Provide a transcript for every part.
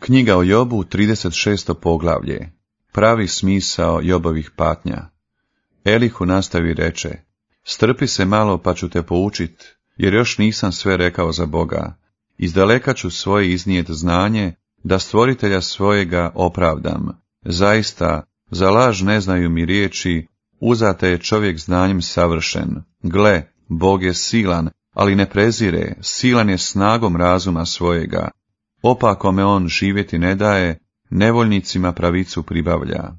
Knjiga o Jobu, 36. poglavlje. Pravi smisao Jobovih patnja. Elihu nastavi reče: strpi se malo pa ću te poučit, jer još nisam sve rekao za Boga. Izdaleka ću svoje iznijet znanje, da stvoritelja svojega opravdam. Zaista, za laž ne znaju mi riječi, uzate je čovjek znanjem savršen. Gle, Bog je silan, ali ne prezire, silan je snagom razuma svojega. Opakome on živjeti ne daje, nevoljnicima pravicu pribavlja.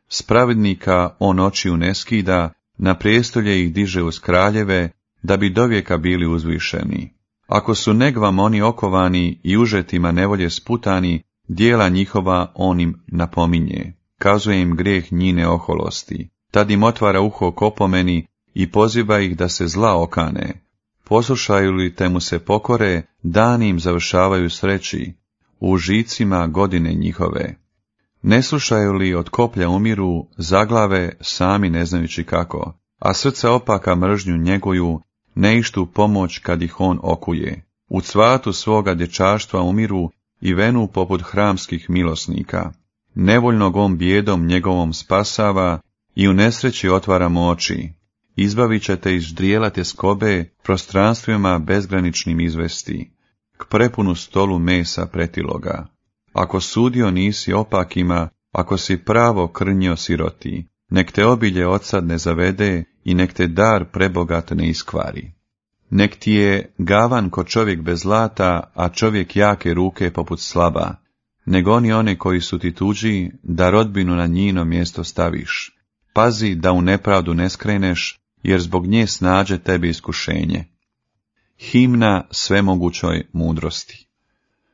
S pravednika on očiju ne skida, na prijestolje ih diže uz kraljeve, da bi dovijeka bili uzvišeni. Ako su negvam oni okovani i užetima nevolje sputani, dijela njihova on im napominje. Kazuje im grijeh njine oholosti. Tad im otvara uho k opomeni i poziva ih da se zla okane. Poslušaju li te mu se pokore, dani im završavaju sreći, u žicima godine njihove. Ne slušaju li od koplja umiru, zaglave sami ne znajući kako, a srca opaka mržnju njeguju, ne ištu pomoć kad ih on okuje. U cvatu svoga dječaštva umiru i venu poput hramskih milosnika. Nevoljnog on bijedom njegovom spasava i u nesreći otvaramo oči. Izbavit ćete iz ždrijela tjeskobe, prostranstvima bezgraničnim izvesti, k prepunu stolu mesa pretiloga. Ako sudio nisi opakima, ako si pravo krnjio siroti, nek te obilje odsad ne zavede i nek te dar prebogat ne iskvari. Nek ti je gavan ko čovjek bez zlata, a čovjek jake ruke poput slaba, nego oni one koji su ti tuđi, da rodbinu na njino mjesto staviš. Pazi da u nepravdu ne skreneš, jer zbog nje snađe tebi iskušenje. Himna svemogućoj mudrosti.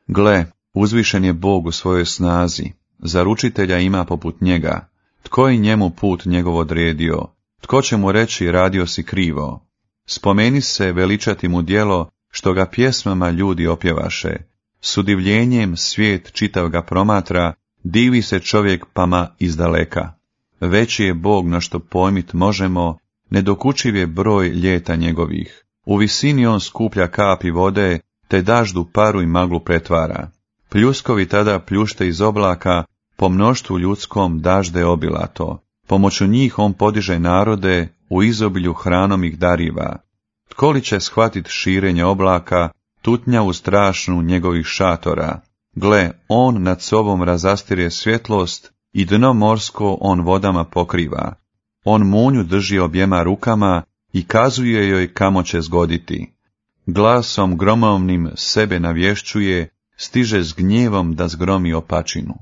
Gle, uzvišen je Bog u svojoj snazi, zaručitelja ima poput njega. Tko je njemu put njegov odredio? Tko će mu reći radio si krivo? Spomeni se veličati mu djelo, što ga pjesmama ljudi opjevaše. S udivljenjem svijet čitav ga promatra, divi se čovjek pama izdaleka. Veći je Bog na što pojmit možemo, nedokučiv je broj ljeta njegovih. U visini on skuplja kapi vode, te daždu paru i maglu pretvara. Pljuskovi tada pljušte iz oblaka, po mnoštvu ljudskom dažde obilato. Pomoću njih on podiže narode, u izobilju hranom ih dariva. Tko li će shvatit širenje oblaka, tutnjavu strašnu njegovih šatora? Gle, on nad sobom razastire svjetlost i dno morsko on vodama pokriva. On munju drži objema rukama i kazuje joj kamo će zgoditi. Glasom gromovnim sebe navješćuje, stiže s gnjevom da zgromi opačinu.